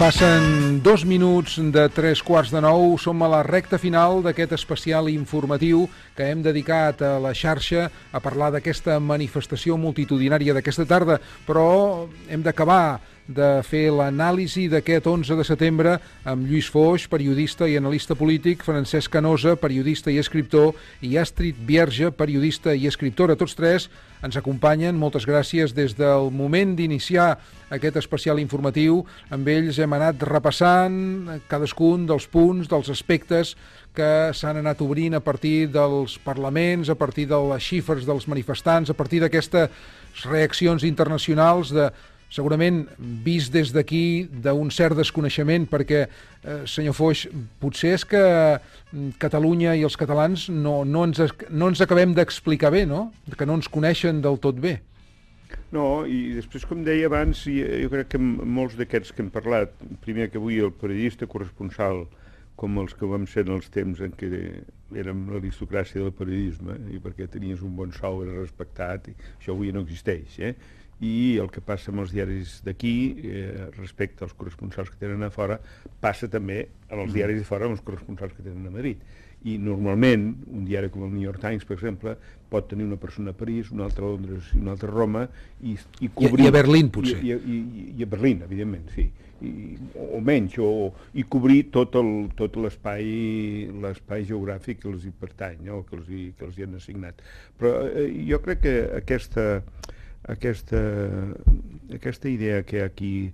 Passen 2 minuts de 3:15, som a la recta final d'aquest especial informatiu que hem dedicat a la xarxa a parlar d'aquesta manifestació multitudinària d'aquesta tarda, però hem d'acabar de fer l'anàlisi d'aquest 11 de setembre amb Lluís Foix, periodista i analista polític, Francesc Canosa, periodista i escriptor, i Astrid Bierge, periodista i escriptora. Tots tres ens acompanyen. Moltes gràcies. Des del moment d'iniciar aquest especial informatiu, amb ells hem anat repassant cadascun dels punts, dels aspectes que s'han anat obrint a partir dels parlaments, a partir de les xifres dels manifestants, a partir d'aquestes reaccions internacionals segurament vist des d'aquí d'un cert desconeixement, perquè, senyor Foix, potser és que Catalunya i els catalans no ens acabem d'explicar bé, no? Que no ens coneixen del tot bé. No, i després, com deia abans, jo crec que molts d'aquests que hem parlat, primer que avui el periodista corresponsal, com els que vam ser en els temps en què érem l'aristocràcia del periodisme, i perquè tenies un bon sou, era respectat, i això avui no existeix, i el que passa amb els diaris d'aquí respecte als corresponsals que tenen a fora passa també amb els diaris de fora amb els corresponsals que tenen a Madrid. I normalment un diari com el New York Times, per exemple, pot tenir una persona a París, una altra a Londres i una altra a Roma i cobrir... I a Berlín, potser. I a Berlín, evidentment, sí. O menys, i cobrir tot l'espai geogràfic que els hi pertany, no? que els hi han assignat. Però jo crec que aquesta idea que hi ha aquí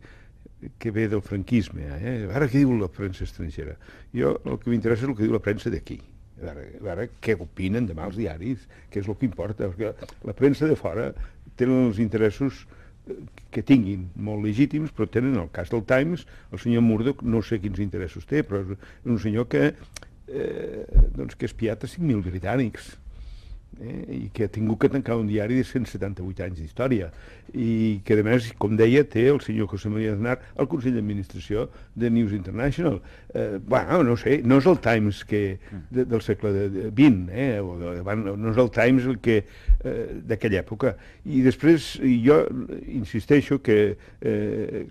que ve del franquisme, ara què diu la premsa estrangera? Jo el que m'interessa és el que diu la premsa d'aquí, a veure què opinen demà els diaris, què és el que importa, perquè la premsa de fora tenen els interessos que tinguin, molt legítims, però tenen el cas del Times, el senyor Murdoch no sé quins interessos té, però és un senyor que ha espiat a 5.000 britànics, i que ha tingut que tancar un diari de 178 anys d'història i que a més, com deia, té el senyor José María Aznar al Consell d'Administració de News International. No sé, no és el Times del segle XX, no és el Times d'aquella època. I després jo insisteixo que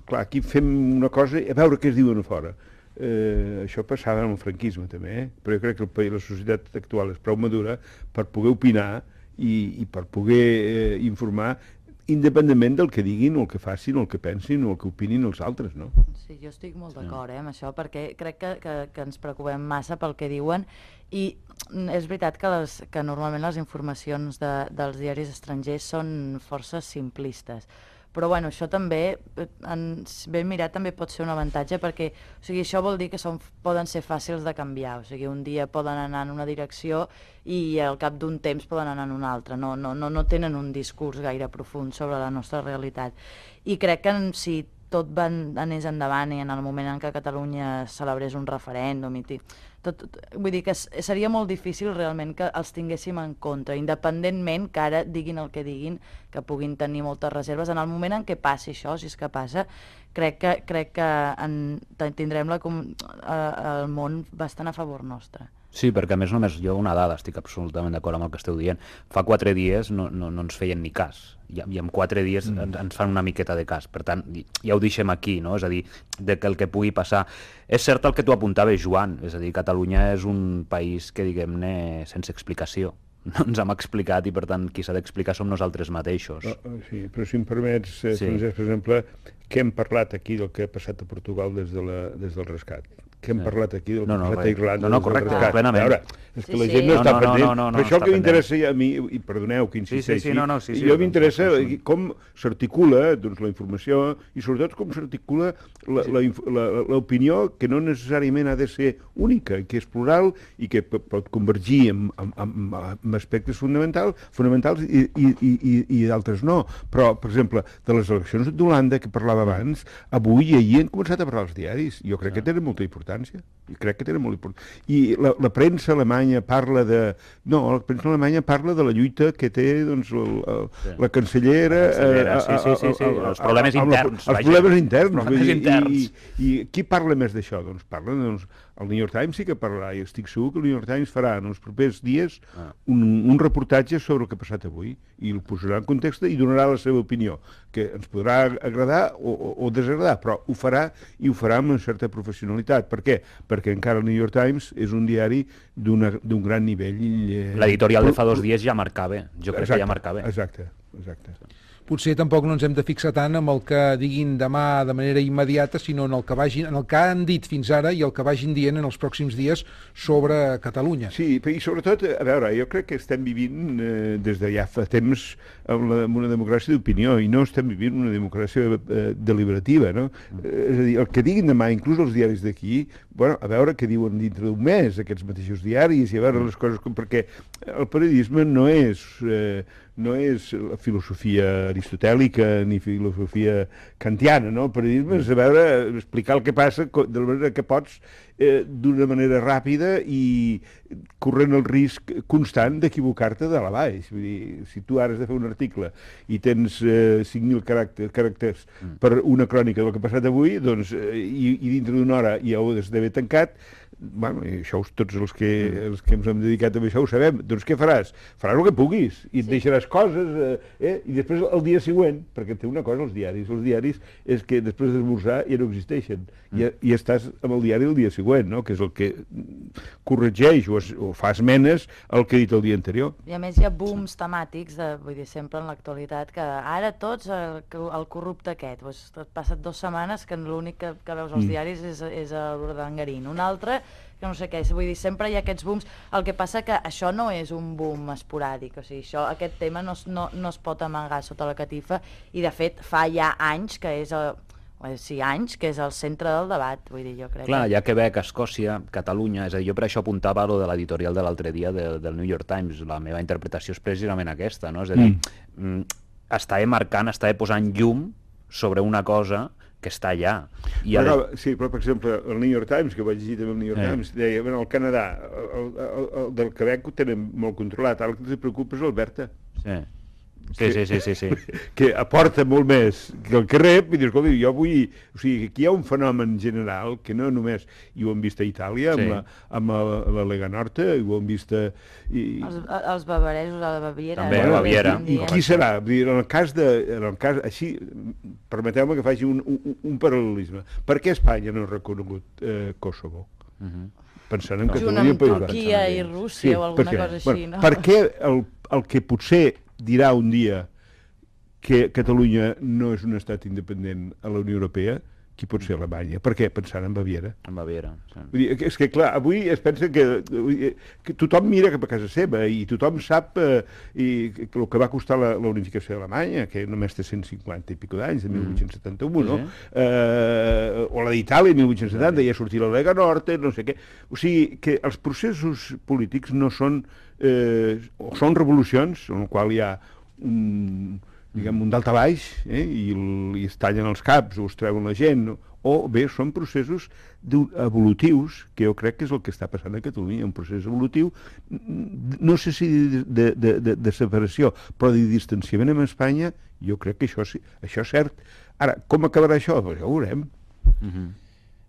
clar, aquí fem una cosa a veure què es diuen a fora. Això passava amb el franquisme també, però jo crec que la societat actual és prou madura per poder opinar i per poder informar independentment del que diguin o el que facin o el que pensin o el que opinin els altres, no? Sí, jo estic molt d'acord amb això, perquè crec que ens preocupem massa pel que diuen i és veritat que normalment les informacions dels diaris estrangers són força simplistes. Però bueno, això també, ben mirat, també pot ser un avantatge perquè això vol dir que poden ser fàcils de canviar. O sigui, un dia poden anar en una direcció i al cap d'un temps poden anar en una altra. No tenen un discurs gaire profund sobre la nostra realitat. I crec que si tot anés endavant i en el moment en què Catalunya celebrés un referèndum vull dir que seria molt difícil realment que els tinguéssim en compte, independentment que ara diguin el que diguin, que puguin tenir moltes reserves. En el moment en què passi això, si és que passa, crec que tindrem el món bastant a favor nostre. Sí, perquè a més només jo una dada, estic absolutament d'acord amb el que esteu dient. Fa 4 dies no ens feien ni cas, i en 4 dies ens fan una miqueta de cas. Per tant, ja ho deixem aquí, no? És a dir, que el que pugui passar. És cert el que tu apuntaves, Joan, és a dir, Catalunya és un país que, diguem-ne, sense explicació. No ens hem explicat i, per tant, qui s'ha d'explicar som nosaltres mateixos. Sí, però si em permets, Francesc, per exemple, què hem parlat aquí del que ha passat a Portugal des del rescat? Que hem parlat aquí del que ha passat a Irlanda. No, correcte, plenament. A veure, és que la gent no està pendent. Però això el que m'interessa a mi, i perdoneu que insisteixi, jo m'interessa com s'articula la informació i sobretot com s'articula l'opinió, que no necessàriament ha de ser única, que és plural i que pot convergir en aspectes fonamentals i d'altres no. Però, per exemple, de les eleccions d'Holanda que parlava abans, avui i ahir han començat a parlar els diaris. Jo crec que tenen molta importància. I la premsa alemanya parla de... No, la premsa alemanya parla de la lluita que té la cancellera... Els problemes interns. Els problemes interns. I qui parla més d'això? Doncs parla... El New York Times sí que parlarà, i estic segur que el New York Times farà en els propers dies un reportatge sobre el que ha passat avui, i el posarà en context i donarà la seva opinió, que ens podrà agradar o desagradar, però ho farà i ho farà amb una certa professionalitat. Per què? Perquè encara el New York Times és un diari d'un gran nivell. L'editorial de fa 2 dies ja marcava, jo crec que ja marcava. Exacte. Potser tampoc no ens hem de fixar tant en el que diguin demà de manera immediata, sinó en el que han dit fins ara i el que vagin dient en els pròxims dies sobre Catalunya. Sí, i sobretot, a veure, jo crec que estem vivint des de ja fa temps amb una democràcia d'opinió i no estem vivint una democràcia deliberativa, no? És a dir, el que diguin demà, inclús els diaris d'aquí, bueno, a veure què diuen dintre d'un mes aquests mateixos diaris i a veure les coses, perquè el periodisme no és la filosofia aristotèlica ni filosofia kantiana, no? El periodisme és explicar el que passa de la manera que pots d'una manera ràpida i corrent el risc constant d'equivocar-te de la baix. Vull dir, si tu ara has de fer un article i tens 5.000 caràcters per una crònica del que ha passat avui, doncs, i dintre d'una hora ja ho has d'haver tancat, bueno, i això tots els que ens hem dedicat a això ho sabem, doncs què faràs? Faràs el que puguis i et deixaràs coses i després el dia següent, perquè té una cosa els diaris és que després d'esmorzar ja no existeixen i estàs amb el diari el dia següent, no? Que és el que corregeix o fa esmenes al que ha dit el dia anterior. I a més hi ha booms temàtics, vull dir, sempre en l'actualitat, que ara tots el corrupte aquest, doncs et passa't 2 setmanes que l'únic que veus als diaris és l'Urdangarín, un altre que no sé què, vull dir, sempre hi ha aquests booms. El que passa que això no és un boom esporàdic, o sigui, aquest tema no es pot amagar sota la catifa i de fet fa ja anys que és el centre del debat, vull dir, jo crec. Clar, hi ha Quebec, Escòcia, Catalunya, és a dir, jo per això apuntava lo de l'editorial de l'altre dia del New York Times, la meva interpretació és precisament aquesta, no? És a dir, estava marcant, estava posant llum sobre una cosa que està allà. Sí, però per exemple, el New York Times, que vaig llegir també el New York Times, deia, bueno, el Canadà, el del Quebec ho tenen molt controlat, ara el que els preocupa és l'Alberta. Sí. Que aporta molt més que el que rep, i dius, escolta, jo vull... O sigui, aquí hi ha un fenomen general que no només... I ho hem vist a Itàlia, amb la Lega Nord, i ho hem vist a... Els bavaresos a la Baviera. També, a Baviera. I qui serà? En el cas així, permeteu-me que faci un paral·lelisme. Per què Espanya no ha reconegut Kosovo? Pensant en Catalunya i País Basc. Turquia i Rússia o alguna cosa així, no? Per què el que potser dirà un dia que Catalunya no és un estat independent a la Unió Europea, qui pot ser Alemanya? Per què? Pensant en Baviera. En Baviera, sí. Vull dir, és que, clar, avui es pensa que tothom mira cap a casa seva i tothom sap el que va costar la unificació d'Alemanya, que només té 150 i pico d'anys, de 1871, no? O la d'Itàlia, 1870, ja sortir la Lega Nord, no sé què. O sigui, que els processos polítics no són... o són revolucions, en el qual hi ha un daltabaix i es tallen els caps o es treuen la gent, o bé són processos evolutius, que jo crec que és el que està passant a Catalunya, un procés evolutiu, no sé si de separació, però de distanciament amb Espanya, jo crec que això és cert. Ara, com acabarà això? Pues ja ho veurem.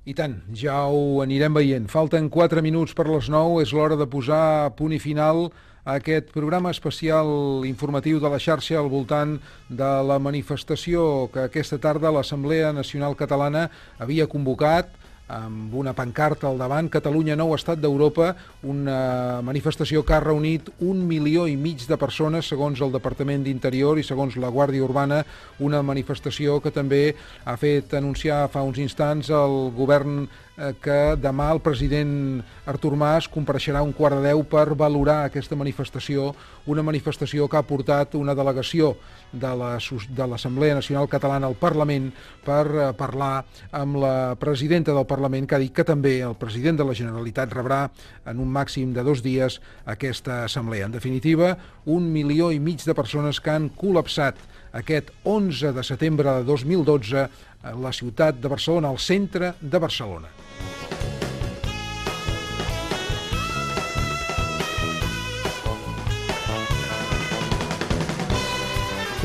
I tant, ja ho anirem veient. Falten 4 minuts per les 9, és l'hora de posar punt i final a aquest programa especial informatiu de la xarxa al voltant de la manifestació que aquesta tarda l'Assemblea Nacional Catalana havia convocat amb una pancarta al davant, Catalunya nou estat d'Europa, una manifestació que ha reunit 1,5 milions de persones, segons el Departament d'Interior i segons la Guàrdia Urbana, una manifestació que també ha fet anunciar fa uns instants el govern que demà el president Artur Mas compareixerà 9:15 per valorar aquesta manifestació, una manifestació que ha portat una delegació de l'Assemblea Nacional Catalana al Parlament per parlar amb la presidenta del Parlament, que ha dit que també el president de la Generalitat rebrà en un màxim de 2 dies aquesta assemblea. En definitiva, 1,5 milions de persones que han col·lapsat aquest 11 de setembre de 2012 a la ciutat de Barcelona, al centre de Barcelona.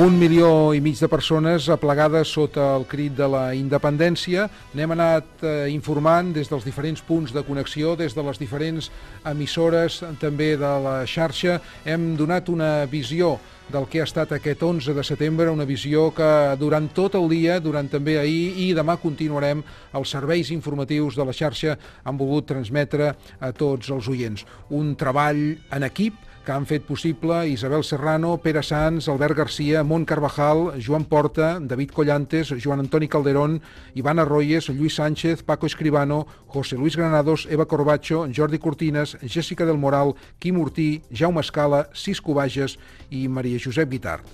Un milió i mig de persones aplegades sota el crit de la independència. N'hem anat informant des dels diferents punts de connexió, des de les diferents emissores també de la xarxa. Hem donat una visió del que ha estat aquest 11 de setembre, una visió que durant tot el dia, durant també ahir i demà continuarem, els serveis informatius de la xarxa han volgut transmetre a tots els oients. Un treball en equip que han fet possible Isabel Serrano, Pere Sanz, Albert Garcia, Mont Carvajal, Joan Porta, David Collantes, Joan Antoni Calderón, Ivan Arroyes, Lluís Sánchez, Paco Escribano, José Luis Granados, Eva Corbacho, Jordi Cortines, Jessica del Moral, Quim Ortí, Jaume Escala, Cisco Bages i Maria Josep Guitart.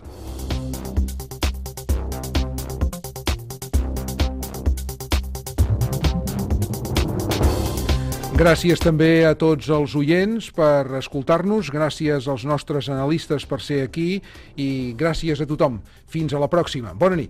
Gràcies també a tots els oients per escoltar-nos, gràcies als nostres analistes per ser aquí i gràcies a tothom. Fins a la pròxima. Bona nit.